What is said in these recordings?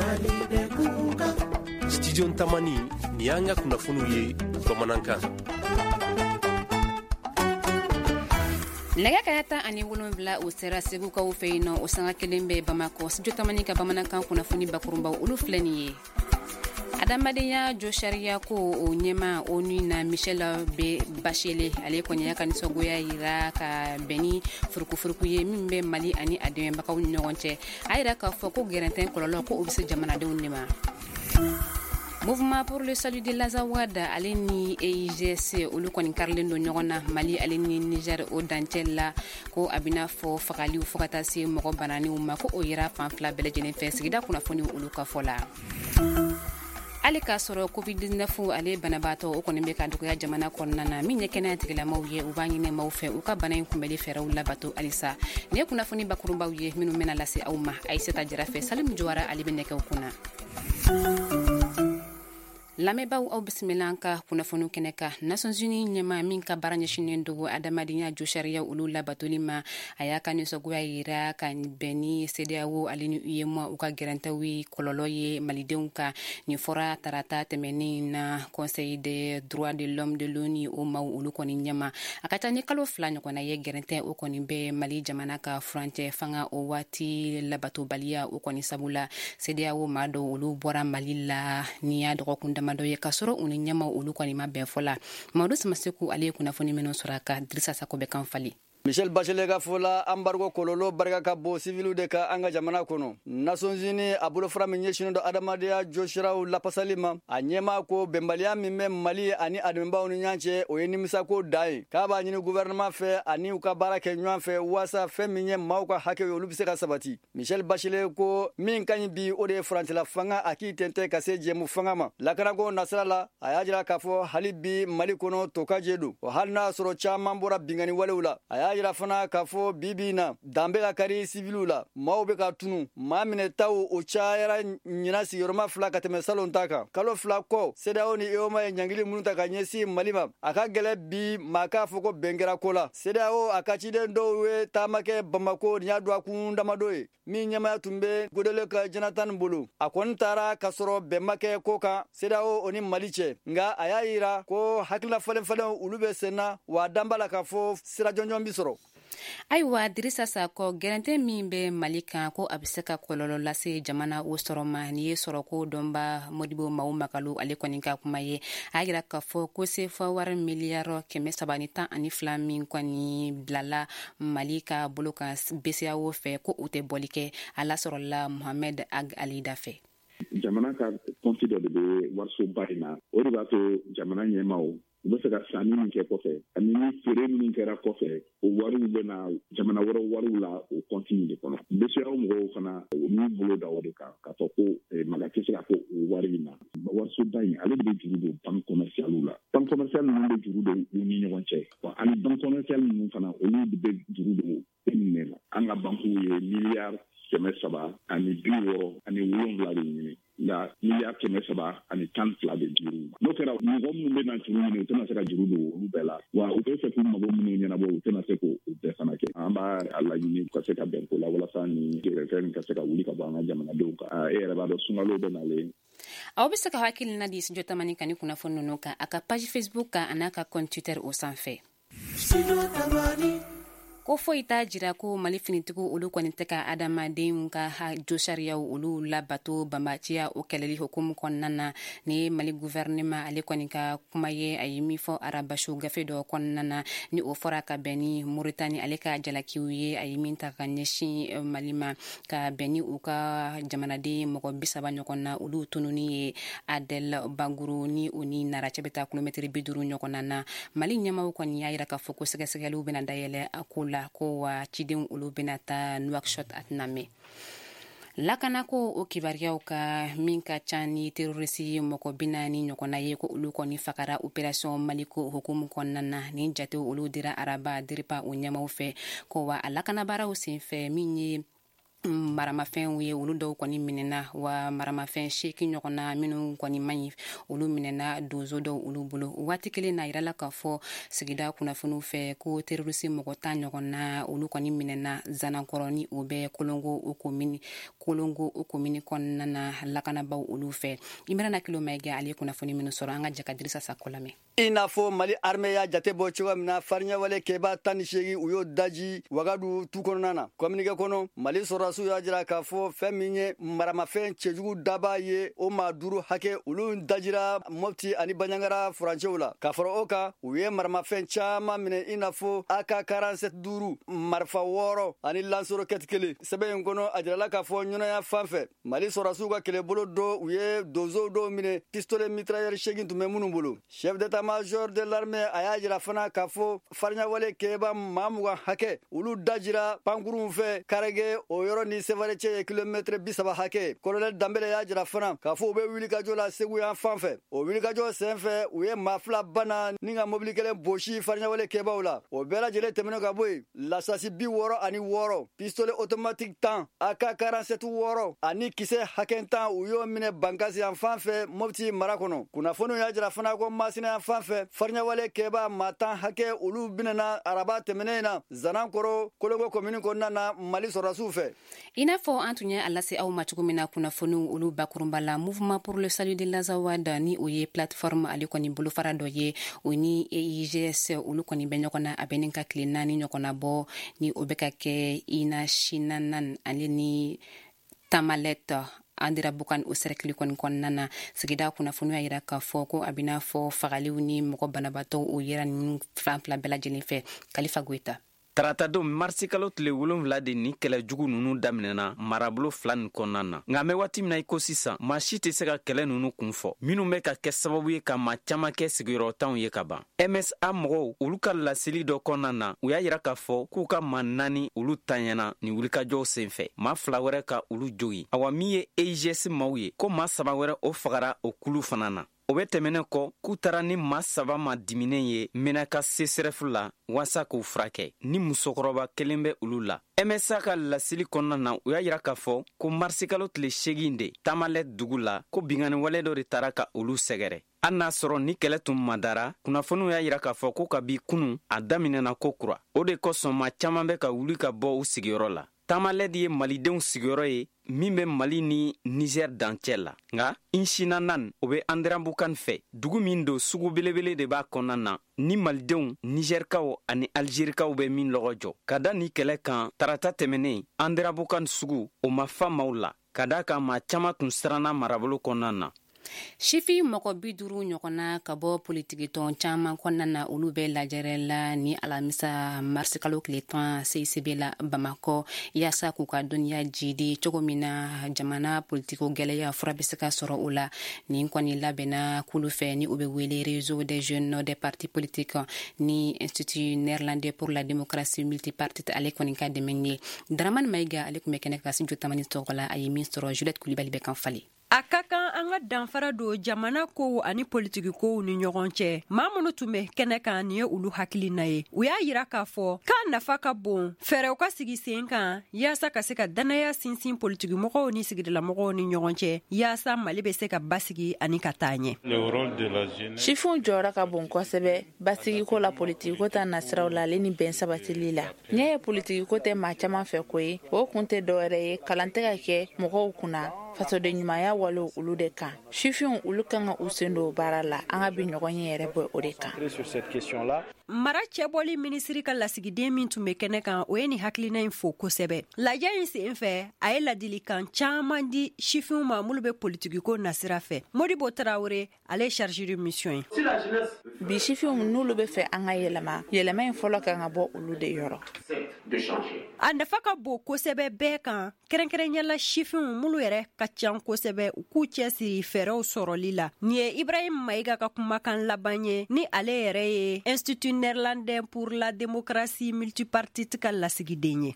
Mali bɛ kunkan. Studio Tamani, nin y'an ka kunnafoniw ye bamanankan. Nɛgɛ kaɲa 17, o sera Segukaw fɛ yen nɔ, o sanga kelen bɛ Bamakɔ. Studio Tamani ka bamanankan kunnafoni bakurunbaw, olu filɛ nin ye. Adamadenya josariya ko o ɲɛma ONU na, Michel B Bachelet, ale kɔni y'a ka nisɔngoya yira ka bɛn ni furukufuruku ye min bɛ Mali ani a dɛmɛbagaw ni ɲɔgɔn cɛ. A yira k'a fɔ ko gɛrɛntɛn kɔlɔlɔ, ko o bɛ se jamanadenw de ma. Mouvement pour le salut de l'Azawad ale ni EIGS, olu kɔni karilen don ɲɔgɔn na Mali ale ni Niger o dancɛ la, ko a bɛna fɔ fagaliw fo ka taa se mɔgɔ bananiw ma, ko o yera fan fila bɛɛ lajɛlen fɛ, sigida kunnafoniw olu ka fɔ la. Hali k'a sɔrɔ COVID-19 ale banabaatɔ o kɔni bɛ ka dɔgɔya jamana kɔnɔna na, min ye kɛnɛya tigilamaw ye, u b'a ɲini maaw fɛ u ka bana in kunbɛli fɛɛrɛw labato halisa. Nin ye kunnafoni bakurunbaw ye minnu bɛna lase aw ma Ayisata Jara fɛ. Salimu Jawara, ale bɛ nɛgɛw kunna. Lamɛnbaaw, aw bisimila an ka kunnafoniw kɛnɛ kan. Nations Unies ɲɛma min ka baara ɲɛsinnen dogo adamadenya josariya olu labatoli ma, a y'a ka nisɔngoya yira ka bɛn ni CEDEAO ale ni UEMOA u ka gɛrɛntɛw kɔlɔlɔ ye malidenw kan. Nin fɔra tarata tɛmɛnen na Conseil des droits de l'homme de l'ONU o maaw olu kɔni ɲɛma. A ka ca ni kalo 2 ɲɔgɔnna ye, gɛrɛntɛ o kɔni bɛ Mali jamana ka furancɛ fanga o waati labatobaliya o kɔni sabu la. CEDEAO maa dɔw olu bɔra Mali la ni y'a dɔgɔkun damadɔ ye, k'a sɔrɔ u ni ɲɛmaw olu kɔni ma bɛn fɔ la. Mamadu Samaseku, ale ye kunnafoni minnu sɔrɔ a kan, Dirisa Sako bɛ kan fali. Michel Bachelet ka fɔ la, embargo kɔlɔlɔ barika ka bon siviliw de ka an ka jamana kɔnɔ. Nations Unies a bolofara min ɲɛsinnen don adamadenya jɔsiraw lapasali ma, a ɲɛmaa ko bɛnbaliya min bɛ Mali ani a dɛmɛbaaw ni ɲɔgɔn cɛ, o ye nimisako dan ye, k'a b'a ɲini gouvernement fɛ ani u ka baara kɛ ɲɔgɔn fɛ waasa fɛn min ye maaw ka hakɛ ye, olu bɛ se ka sabati. Michel Bachelet ko min ka ɲi bi, o de ye furancɛla fanga a k'i tɛntɛn ka se jɛmu fanga ma. Lakanako nasira la, a y'a jira k'a fɔ hali bi Mali kɔnɔ tokajɛ don, o hali n'a sɔrɔ caman bɔra binkanni walew la. A y'a jira fana k'a fɔ bi bi in na, dan bɛ ka kari siviliw la, maaw bɛ ka tunu, maa minɛtaw o cayara ɲinan sigiyɔrɔma 2 ka tɛmɛ salon ta kan. Kalo 2 kɔ, CEDEAO ni UEMOA ye ɲangili minnu ta ka ɲɛsin Mali ma, a ka gɛlɛ bi maa k'a fɔ ko bɛn kɛra ko la. CEDEAO a ka ciden dɔw ye taama kɛ Bamako nin y'a dɔgɔkun damadɔ ye, min ɲɛmaya tun bɛ Goodluck Jonathan bolo. A kɔni taara k'a sɔrɔ bɛn ma kɛ ko kan CEDEAO o ni Mali cɛ, nka a y'a yira ko hakilina falen falenw olu bɛ sen na, wa dan b'a la k'a fɔ sira jɔnjɔn bi sɔrɔ. Ayiwa, Dirisa Sakɔ, gɛrɛntɛ min bɛ Mali kan, ko a bɛ se ka kɔlɔlɔ lase jamana o sɔrɔ ma, nin ye sɔrɔko dɔnba Modibo Mawo Makalo ale kɔni ka kuma ye. A y'a yira k'a fɔ ko sefa wari miliyari 312 min kɔni bilala Mali ka bolo kan BCEAO fɛ, ko o tɛ bɔli kɛ. A lasɔrɔla Mohamed Ag Alida fɛ. Jamana ka kɔnti dɔ de bɛ warisoba in na, o de b'a to jamana ɲɛmaaw u bɛ fɛ ka sanni min kɛ kɔfɛ ani ni feere minnu kɛra kɔfɛ, o wariw bɛ na jamana wɛrɛ wariw la o kɔnti in de kɔnɔ. BCEAO mɔgɔw fana, u y'u bolo da o de kan k'a fɔ ko maga tɛ se ka kɛ o wari in na. Warisoba in, ale de bɛ juru don banque commerciale la. Banque commerciale ninnu bɛ juru don u ni ɲɔgɔn cɛ, wa ani banque commerciale ninnu fana, olu de bɛ juru don e la. An ka banques ye miliyari 367 de ɲini, nka miliyari 312 de dir'u ma. N'o kɛra, mɔgɔ minnu bɛ na juru ɲini, u tɛna se ka juru don olu bɛɛ la, wa u bɛ fɛ k'u mago minnu ɲɛnabɔ, u tɛna se k'o bɛɛ fana kɛ. An b'a laɲini ka se ka bɛn ko la walasa ni gɛrɛfɛn ka se ka wuli ka bɔ an ka jamanadenw kan. E yɛrɛ b'a dɔn, sunkalo bɛ nalen. Aw bɛ se ka hakilina di Studio Tamani kan ni kunnafoni ninnu kan a ka page Facebook kan a n'a ka compte Twitter o sanfɛ. Ko foyi t'a jira ko Mali finitigiw olu kɔni tɛ ka adamadenw ka josariyaw olu labato banbaciya o kɛlɛli hukumu kɔnɔna na. Ni ye Mali gouvernement ale kɔni ka kuma ye, a ye min fɔ arabasu gafe dɔ kɔnɔna na, ni o fɔra ka bɛn ni Moritani ale ka jalakiw ye, a ye min ta ka ɲɛsin Mali ma ka bɛn ni u ka jamanaden mɔgɔ 30 ɲɔgɔn na olu tununi ye Adel Baguru ni o ni Nara cɛ bɛ taa kilomɛtiri 50 ɲɔgɔn na. Mali ɲɛmaw kɔni y'a yira k'a fɔ ko sɛgɛsɛgɛliw bɛna dayɛlɛ a ko la, ko wa cidenw olu bɛna taa Nouakchott a tɛna mɛn. Lakanako o kibaruyaw ka min ka ca ni terroriste mɔgɔ 40 ɲɔgɔnna ye, ko olu kɔni fagara opération Maliko hukumu kɔnɔna na. Nin jatew olu dira araba DIRPA o ɲɛmaw fɛ, ko wa a lakanabaaraw senfɛ min ye Maramafɛnw ye, olu dɔw kɔni minɛna, wa maramafɛn 8 ɲɔgɔn na minnu kɔni man ɲi, olu minɛna donso dɔw olu bolo. Waati kelen na, yirala k'a fɔ sigida kunnafoniw fɛ ko terroriste mɔgɔ 10 ɲɔgɔn na, olu kɔni minɛna Zanankɔrɔ, ni o bɛ Kolongo o komini kɔnɔna na, lakanabaw olu fɛ. Imirana Kilo Mayiga, ale ye kunnafoni minnu sɔrɔ, an ka jɛ ka Dirisa Sakɔ lamɛn. I n'a fɔ Mali armée y'a jate bɔ cogoya min na, fariɲɛwale kɛba 18, u y'o daji Wagadu tu kɔnɔna na. Communiqué kɔnɔ, Mali sɔrɔdasiw y'a jira k'a fɔ fɛn min ye maramafɛn cɛjugu daba ye, o maa duuru hakɛ, olu dajira Mɔpti ani Baɲangara furancɛw la. Ka fara o kan, u ye maramafɛn caman minɛ, i n'a fɔ AK 47 duuru, marifa wɔɔrɔ ani lance-roquette kelen. Sɛbɛn in kɔnɔ, a jirala k'a fɔ ɲɔnɔya fan fɛ, Mali sɔrɔdasiw ka kɛlɛbolo dɔ, u ye donsow dɔw minɛ, pistolet mitrailleur 8 tun bɛ minnu bolo. Chef d'état-major de l'armée a y'a jira fana k'a fɔ fariɲawale kɛba maa 20 hakɛ, olu dajira pankurunw fɛ Karɛgɛ, o yɔrɔ ni Sevare cɛ ye kilomɛtɛrɛ 30 hakɛ. Colonel Danbele y'a jira fana k'a fɔ u bɛ wulikajɔ la Segu yan fan fɛ. O wulikajɔ sen fɛ, u ye maa fila bana ni ka mobili kelen bosi fariɲawale kɛbaw la. O bɛɛ lajɛlen tɛmɛnen ka bɔ yen, lasasi 66, pistolet automatique 10, AK 47 wɔɔrɔ ani kisɛ hakɛ 10, u y'o minɛ Bankasi yan fan fɛ, Mopti mara kɔnɔ. Kunnafoniw y'a jira fana ko Masina yan fan fɛ, fariɲawale kɛba maa 10 hakɛ, olu minɛna araba tɛmɛnen na Zanankɔrɔ, Kolongo komini kɔnɔna na, Mali sɔrɔdasiw fɛ. I n'a fɔ an tun ye a lase aw ma cogo min na kunnafoniw olu bakurunba la, Mouvement pour le salut de l'Azawad, ni o ye plateforme ale kɔni bolofara dɔ ye, o ni EIGS olu kɔni bɛ ɲɔgɔn na, a bɛ nin ka tile 4 ɲɔgɔnna bɔ, ni o bɛ ka kɛ Inachinanan ale ni Tamalet Andéramboukane, o cercle kɔni kɔnɔna na. Sigida kunnafoniw y'a yira k'a fɔ ko a bɛna fɔ fagaliw ni mɔgɔ banabaatɔw, o yera ninnu fan fila bɛɛ lajɛlen fɛ. Kalifa Goyita. Taratadon marisikalo tile 7 de ni kɛlɛ jugu nunu daminɛna marabolo fila nin kɔnɔna na. Nka an bɛ waati min na i ko sisan, maa si tɛ se ka kɛlɛ nunu kun fɔ, minnu bɛ ka kɛ sababu ye ka maa caaman kɛ sigiyɔrɔtanw ye ka ban. MSA mɔgɔw, olu ka laseli dɔ kɔnɔna na, u y'a yira k'a fɔ k'u ka maa naani, olu taɲɛna nin wulikajɔw sen fɛ, maa fila wɛrɛ ka olu jogi. Awa, min ye EIGS maw ye, ko maa saba wɛrɛ o fagara o kulu fana na. O bɛ tɛmɛnen kɔ, k'u taara ni maa saba ma diminen ye Menaka CSRéf la waasa k'u furakɛ, ni musokɔrɔba kelen bɛ olu la. MSA ka laseli kɔnɔna na, u y'a yira k'a fɔ ko marisikalo tile 8 de, Tamalɛ dugu la, ko bingani wale dɔ de taara ka olu sɛgɛrɛ. Hali n'a sɔrɔ ni kɛlɛ tun madara, kunnafoniw y'a yira k'a fɔ ko kabi kunu, a daminɛna ko kura. O de kosɔn maa caaman bɛ ka wuli ka bɔ u sigiyɔrɔ la. Tamalɛdi ye malidenw sigiyɔrɔ ye min bɛ Mali ni Nizɛr dancɛ la. Nka Inchinanan, o bɛ Andéramboukane fɛ, dugu min don, sugu belebele de b'a kɔnɔna na, ni malidenw, nizɛrikaw ani alizerikaw bɛ min lɔgɔ jɔ. Ka da ni kɛlɛ kan tarata tɛmɛnen, Andéramboukane sugu o ma fa maaw la, ka da kan maa caaman tun siranna marabolo kɔnɔna na. Sifin mɔgɔ 50 ɲɔgɔnna ka bɔ politikitɔn caman kɔnɔna na, olu bɛ lajɛrɛ la ni alamisa marisikalo tile 10 CICB la Bamakɔ, yaasa k'u ka dɔnniya jidi cogo min na jamana politiko gwɛlɛya fura bɛ se ka sɔrɔ o la. Nin kɔni labɛnna kulu fɛ ni o bɛ wele Réseau des jeunes des partis politiques ni Institut néerlandais pour la démocratie multipartite ale kɔni ka dɛmɛ ye. Daramani Mayiga, ale tun bɛ kɛnɛ ka Studio Tamani tɔgɔ la, a ye min sɔrɔ, Juliette Kulibali bɛ kan falen. A ka kan an ka danfara don jamana kow ani politiki kow ni ɲɔgɔn cɛ. Maa minnu tun bɛ kɛnɛ kan, nin ye olu hakilina ye. U y'a yira k'a fɔ k'a nafa ka bon fɛɛrɛw ka sigi sen kan yaasa ka se ka dannaya sinsin politikimɔgɔw ni sigidalamɔgɔw ni ɲɔgɔn cɛ, yaasa Mali bɛ se ka basigi ani ka taa ɲɛ. Sifinw jɔyɔrɔ ka bon kosɛbɛ basigiko la, politikiko ta nasiraw la, ale ni bɛn sabatili la. N'i ye politikiko tɛ maa caman fɛ ko ye, o kun tɛ dɔwɛrɛ ye, kalan tɛ ka kɛ mɔgɔw kunna fasoden ɲumanya walew olu de kan. Sifinw, olu kan ka u sen don baara la. An ka bi ɲɔgɔn ye yɛrɛ bɔ o de kan. Mara cɛbɔli minisiri ka lasigiden min tun bɛ kɛnɛ kan, o ye nin hakilina in fo kosɛbɛ. Lajɛ in sen fɛ, a ye ladilikan caman di sifinw ma minnu bɛ politikiko nasira fɛ. Modibo Tarawele, ale ye chargé de mission ye. Bi sifinw, n'olu bɛ fɛ an ka yɛlɛma, yɛlɛma in fɔlɔ kan ka bɔ olu de yɔrɔ. A nafa ka bon kosɛbɛ bɛɛ kan, kɛrɛnkɛrɛnyala sifinw minnu yɛrɛ ka ca kosɛbɛ, u k'u cɛsiri fɛɛrɛw sɔrɔli la. Nin ye Ibrahim Mayiga ka kumakan laban ye, ni ale yɛrɛ ye Institut. Néerlandais pour la démocratie multipartite ka lasigiden ye.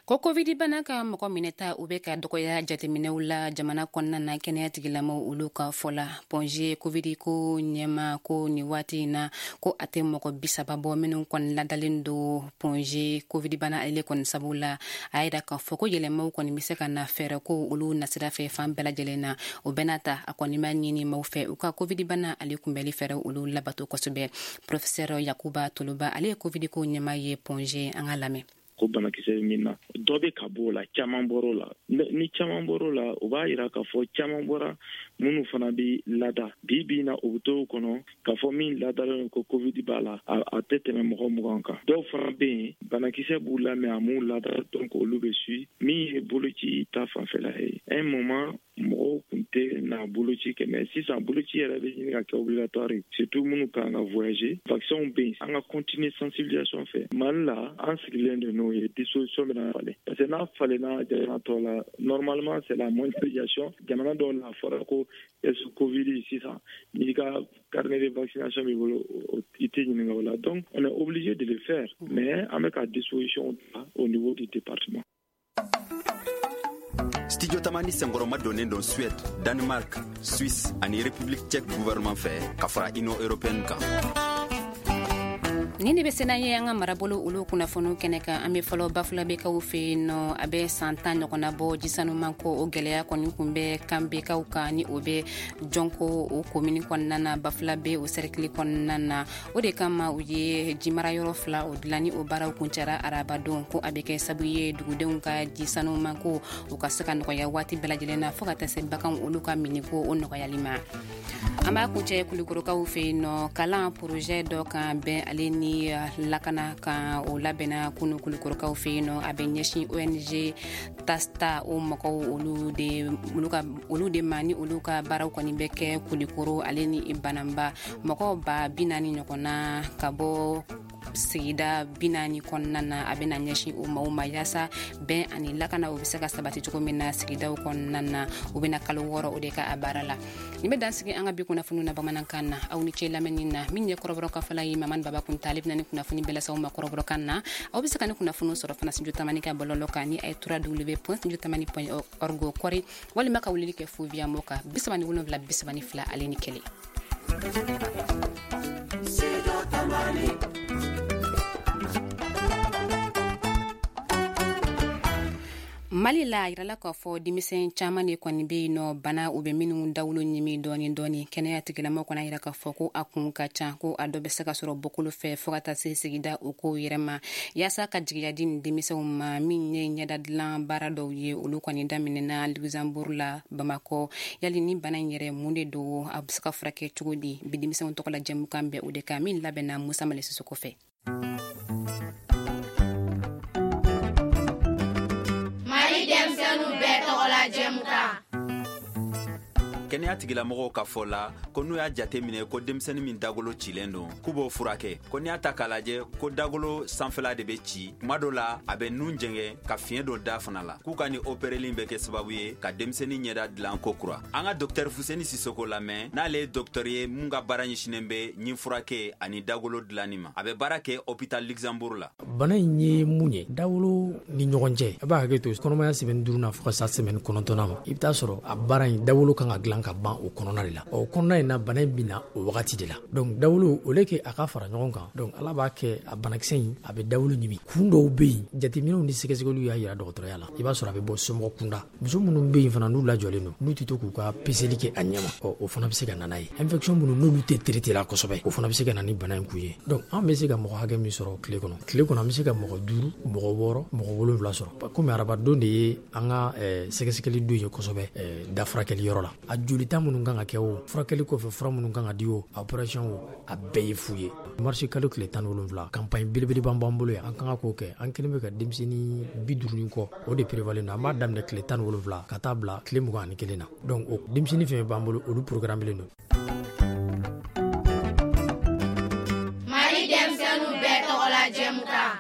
Ko covid bana ka mɔgɔ minɛta u bɛ ka dɔgɔya jateminɛw la jamana kɔnɔna na, kɛnɛya tigilamaw olu ka fɔ la. Point G covid ko ɲɛma ko nin waati in na, ko a tɛ mɔgɔ 30 bɔ minnu kɔni ladalen don Point G covid bana ale kɔni sababu la. A yira k'a fɔ ko yɛlɛmaw kɔni bɛ se ka na fɛɛrɛ ko olu nasira fɛ fan bɛɛ lajɛlen na. O bɛɛ n'a ta, a kɔni b'a ɲini maaw fɛ u ka covid bana ale kunbɛli fɛɛrɛ olu labato kosɛbɛ. Professeur Yakuba Toloba, ale ye covid ko ɲɛma ye Point G, an ka lamɛn. Ko banakisɛ bɛ min na, dɔ bɛ ka bɔ o la, caman bɔr'o la. Ni caman bɔr'o la, o b'a yira k'a fɔ caman bɔra minnu fana bɛ lada bi bi in na, o bɛ to o kɔnɔ k'a fɔ min ladalen ko covid b'a la, a tɛ tɛmɛ mɔgɔ 20 kan. Dɔw fana bɛ yen, banakisɛ b'u la, mais a m'u lada, donc olu bɛ suit. Min ye boloci ta fanfɛla ye, un moment mɔgɔw tun tɛ na boloci kɛ, mais sisan boloci yɛrɛ bɛ ɲini ka kɛ obligatoire ye, surtout minnu kan ka voyager. Vaccin bɛ yen, an ka continuer sensibilisation fɛ. Mali la, an sigilen don n'o ye, disposition bɛna falen, parce que n'a falenna jamana tɔw la, normalement c'est la mondialisation. Jamana dɔw la, a fɔra ko est covid sisan, n'i ka carnet de vaccination b'i bolo, i tɛ ɲininka o la. Donc on est obligé de le faire, mais an bɛ ka disposition ta au niveau du département. Studio Tamani senkɔrɔma donnen don Suède, Danemark, Suisse ani République tchèque gouvernement fɛ ka fara Union européenne kan. Nin de bɛ sena ye an ka marabolo olu kunnafoniw kɛnɛ kan. An bɛ fɔlɔ Bafulabekaw fɛ yen nɔ. A bɛ san 10 ɲɔgɔnna bɔ, jisanuman ko o gɛlɛya kɔni kun bɛ Kanbekaw kan, ni o bɛ Jɔnko o komini kɔnɔna na, Bafulabe o sɛrikili kɔnɔna na. O de kama u ye jimarayɔrɔ fila o dilan, ni o baaraw kuncɛra arabadon, ko a bɛ kɛ sabu ye dugudenw ka jisanuman ko o ka se ka nɔgɔya waati bɛɛ lajɛlen na, fo ka taa se baganw olu ka miniko o nɔgɔyali ma. An b'a kuncɛ Kulukorokaw fɛ yen nɔ. Kalan projet dɔ kan bɛn ale ni lakana kan, o labɛnna kunu Kulukorokaw fɛ yen nɔ. A bɛ ɲɛsin ONG Tasta o mɔgɔw olu de olu ka olu de ma, ni olu ka baaraw kɔni bɛ kɛ Kulikoro ale ni Bananba. Mɔgɔw 40,000 ɲɔgɔn na ka bɔ sigida 40 kɔnɔna na, a bɛna ɲɛsin o maaw ma yaasa bɛn ani lakana o bɛ se ka sabati cogo min na sigidaw kɔnɔna na. U bɛna kalo 6 o de ka a baara la. Nin bɛ dan sigi an ka bi kunnafoniw na bamanankan na. Aw ni ce lamɛnni na. Min ye kɔrɔbɔrɔ kafala ye, Mamani Baba Kunta, ale bɛna ni kunnafoni bɛɛ lase aw ma kɔrɔbɔrɔkan na. Aw bɛ se ka ni kunnafoniw sɔrɔ fana Studio Tamani ka bɔlɔlɔ kan, ni a ye www.studiotamani.org kɔri, walima ka weleli kɛ fo via mo kan 37 32 ale ni 1. Studio Tamani. Mali la, a yirala k'a fɔ denmisɛn caman de kɔni bɛ yen nɔ, bana u bɛ minnu dawolo ɲimi dɔɔni dɔɔni. Kɛnɛya tigilamɔgɔw kɔni a yira k'a fɔ ko a kun ka ca, ko a dɔ bɛ se ka sɔrɔ bɔkolo fɛ, fo ka taa se sigida o kow yɛrɛ ma. Yaasa ka jigiya di nin denmisɛnw ma, min ye ɲɛda dilan baara dɔw ye, olu kɔni daminɛna Luxembourg la Bamakɔ. Yali ni bana in yɛrɛ mun de don, a bɛ se ka furakɛ cogo di? Bi denmisɛnw tɔgɔ la jɛmukan bɛ o de kan, min labɛnna Musa Male Sisoko fɛ. Denmisɛnninw bɛɛ tɔgɔla jɛmukan. Kɛnɛya tigilamɔgɔw ka fɔ la ko n'u y'a jate minɛ ko denmisɛnnin min dagolo cilen don, k'u b'o furakɛ. Ko n'i y'a ta k'a lajɛ, ko dagolo sanfɛla de bɛ ci, kuma dɔ la a bɛ nun jɛngɛ ka fiɲɛ dɔ da fana la, k'u ka nin opereli bɛ kɛ sababu ye ka denmisɛnnin ɲɛda dilan ko kura. An ka dɔktɛri Fuseni Sisoko lamɛn, n'ale ye dɔktɛri ye mun ka baara ɲɛsinnen bɛ ɲin furakɛ ani dagolo dilanni ma. A bɛ baara kɛ hôpital Luxembourg la. Bana in ye mun ye dawolo ni ɲɔgɔn cɛ, a b'a hakɛ to kɔnɔmaya semaine 5 na fo ka sa semaine 9 ma, i bɛ taa sɔrɔ a baara in dawolo kan ka dilan ka ban o kɔnɔna de la. O kɔnɔna in na, bana in bɛ na o wagati de la. Donc dawolo, o le kɛ a ka fara ɲɔgɔn kan, donc Ala b'a kɛ a banakisɛ in a bɛ dawolo ɲimi. Kun dɔw bɛ yen, jateminɛw ni sɛgɛsɛgɛliw y'a yira dɔgɔtɔrɔya la, i b'a sɔrɔ a bɛ bɔ somɔgɔ kunda. Muso minnu bɛ yen fana n'u lajɔlen don, n'u tɛ to k'u ka peseli kɛ a ɲɛma, ɔ o fana bɛ se ka na n'a ye. Infection minnu n'olu tɛ traité la kosɛbɛ, o fana bɛ se ka na ni bana in kun ye. Donc an bɛ se ka mɔgɔ hakɛ min sɔrɔ tile kɔnɔ, an bɛ se ka mɔgɔ 5, mɔgɔ 6, mɔgɔ 7 sɔrɔ. Komi arabadon de ye an ka sɛgɛsɛgɛli don ye kosɛbɛ da furakɛli yɔrɔ la, a jolita minnu kan ka kɛ o, furakɛli kɔfɛ fura minnu kan ka di o, opération o, a bɛɛ ye fu ye. Marisi kalo tile 17, campagne belebeleba b'an bolo yan, an kan ka k'o kɛ. An kelen bɛ ka denmisɛnnin 50 kɔ, o de prévalen don. An b'a daminɛ tile 17 ka taa bila tile 21 na. Donc o denmisɛnnin fɛn b'an bolo, olu programmelen don. Mali denmisɛnninw bɛɛ tɔgɔla jɛmukan.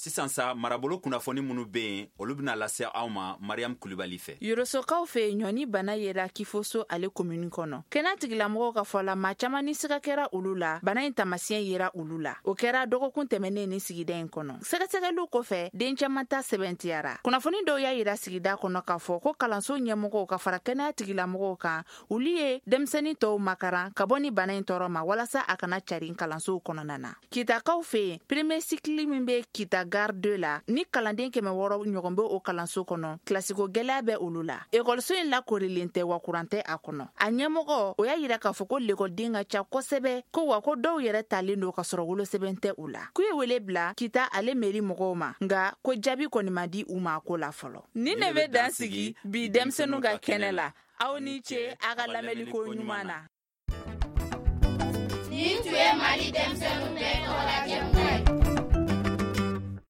Sisan sa, marabolo kunnafoni minnu bɛ yen, olu bɛna lase aw ma Mariam Kulibali fɛ. Yorosokaw fɛ yen, ɲɔni bana yera Kifoso ale komini kɔnɔ. Kɛnɛya tigilamɔgɔw ka fɔ la, maa caman ni siga kɛra olu la, bana in taamasiyɛn yera olu la. O kɛra dɔgɔkun tɛmɛnen ni sigida in kɔnɔ. Sɛgɛsɛgɛliw kɔfɛ, den caman ta sɛbɛntiyara. Kunnafoni dɔw y'a yira sigida kɔnɔ k'a fɔ ko kalanso ɲɛmɔgɔw ka fara kɛnɛya tigilamɔgɔw kan, olu ye denmisɛnnin tɔw makaran ka bɔ ni bana in tɔɔrɔ ma walasa a kana carin kalansow kɔnɔna na. Kitakaw fɛ yen, premier cycle min bɛ Kita gare 2 la, ni kalanden 600 ɲɔgɔn bɛ o kalanso kɔnɔ, kilasiko gɛlɛya bɛ olu la. Ekɔliso in lakorilen tɛ wa kuran tɛ a kɔnɔ. A ɲɛmɔgɔ o y'a yira k'a fɔ ko lekɔliden ka ca kosɛbɛ, ko wa ko dɔw yɛrɛ talen don ka sɔrɔ wolosɛbɛn tɛ u la. K'u ye wele bila Kita ale meri mɔgɔw ma, nka ko jaabi kɔni ma di u ma a ko la fɔlɔ. Nin de bɛ dan sigi bi denmisɛnninw ka kɛnɛ la. Aw ni ce a ka lamɛnliko ɲuman na. Nin tun ye Mali denmisɛnninw bɛɛ tɔgɔla jɛmukan.